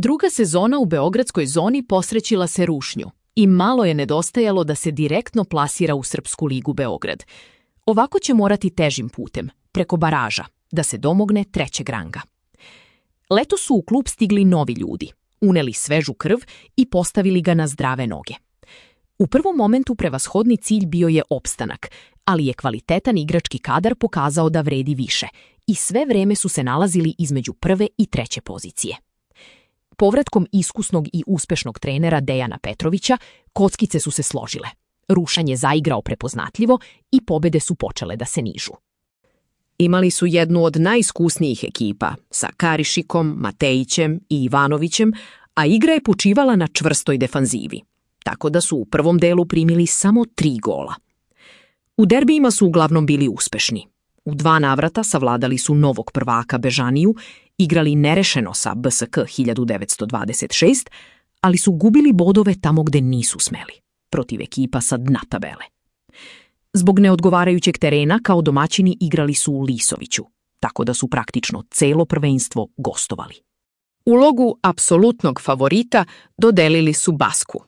Druga sezona u beogradskoj zoni posrećila se rušnju i malo je nedostajalo da se direktno plasira u Srpsku ligu Beograd. Ovako će morati težim putem, preko baraža, da se domogne trećeg ranga. Leto su u klub stigli novi ljudi, uneli svežu krv i postavili ga na zdrave noge. U prvom momentu prevashodni cilj bio je opstanak, ali je kvalitetan igrački kadar pokazao da vredi više i sve vreme su se nalazili između prve i treće pozicije. Povratkom iskusnog i uspešnog trenera Dejana Petrovića, kockice su se složile. Rušan je zaigrao prepoznatljivo i pobede su počele da se nižu. Imali su jednu od najiskusnijih ekipa sa Karišikom, Matejićem i Ivanovićem, a igra je počivala na čvrstoj defanzivi, tako da su u prvom delu primili samo 3 gola. U derbijima su uglavnom bili uspešni. U 2 navrata savladali su novog prvaka Bežaniju, igrali nerešeno sa BSK 1926, ali su gubili bodove tamo gde nisu smeli, protiv ekipa sa dna tabele. Zbog neodgovarajućeg terena kao domaćini igrali su u Lisoviću, tako da su praktično celo prvenstvo gostovali. Ulogu apsolutnog favorita dodelili su Basku.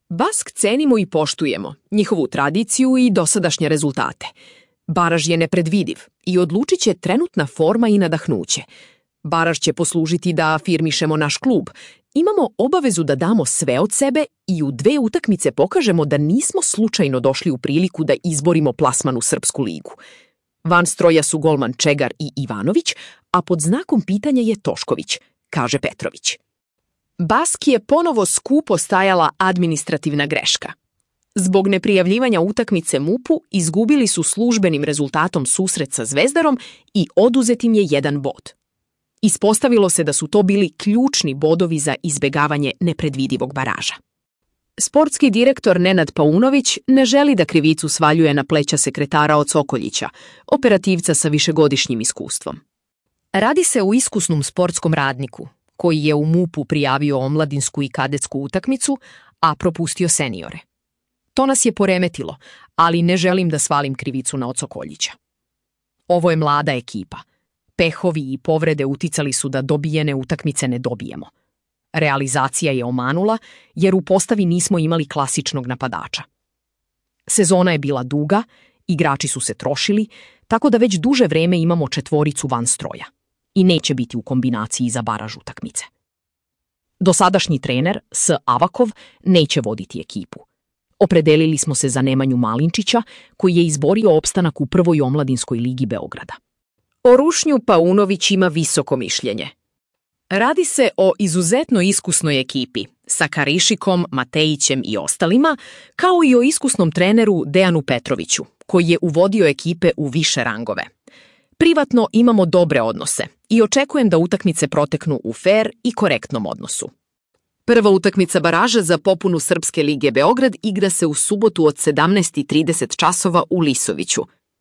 Bask cenimo i poštujemo, njihovu tradiciju i dosadašnje rezultate. Baraž je nepredvidiv i odlučit će trenutna forma i nadahnuće. Baraž će poslužiti da afirmišemo naš klub. Imamo obavezu da damo sve od sebe i u 2 utakmice pokažemo da nismo slučajno došli u priliku da izborimo plasman u Srpsku ligu. Van stroja su golman Čegar i Ivanović, a pod znakom pitanja je Tošković, kaže Petrović. Baski je ponovo skupo stajala administrativna greška. Zbog neprijavljivanja utakmice MUP-u izgubili su službenim rezultatom susret sa Zvezdarom i oduzet im je 1 bod. Ispostavilo se da su to bili ključni bodovi za izbegavanje nepredvidivog baraža. Sportski direktor Nenad Paunović ne želi da krivicu svaljuje na pleća sekretara od Sokoljića, operativca sa višegodišnjim iskustvom. Radi se o iskusnom sportskom radniku, koji je u MUP-u prijavio omladinsku i kadetsku utakmicu, a propustio seniore. To nas je poremetilo, ali ne želim da svalim krivicu na od Sokoljića. Ovo je mlada ekipa. Pehovi i povrede uticali su da dobijene utakmice ne dobijemo. Realizacija je omanula, jer u postavi nismo imali klasičnog napadača. Sezona je bila duga, igrači su se trošili, tako da već duže vreme imamo 4 van stroja i neće biti u kombinaciji za baraž utakmice. Dosadašnji trener, S. Avakov, neće voditi ekipu. Opredelili smo se za Nemanju Malinčića, koji je izborio opstanak u prvoj omladinskoj ligi Beograda. O rušnju Paunović ima visoko mišljenje. Radi se o izuzetno iskusnoj ekipi, sa Karišikom, Matejićem i ostalima, kao i o iskusnom treneru Dejanu Petroviću, koji je uvodio ekipe u više rangove. Privatno imamo dobre odnose i očekujem da utakmice proteknu u fer i korektnom odnosu. Prva utakmica baraža za popunu Srpske lige Beograd igra se u subotu od 17:30 časova u Lisoviću.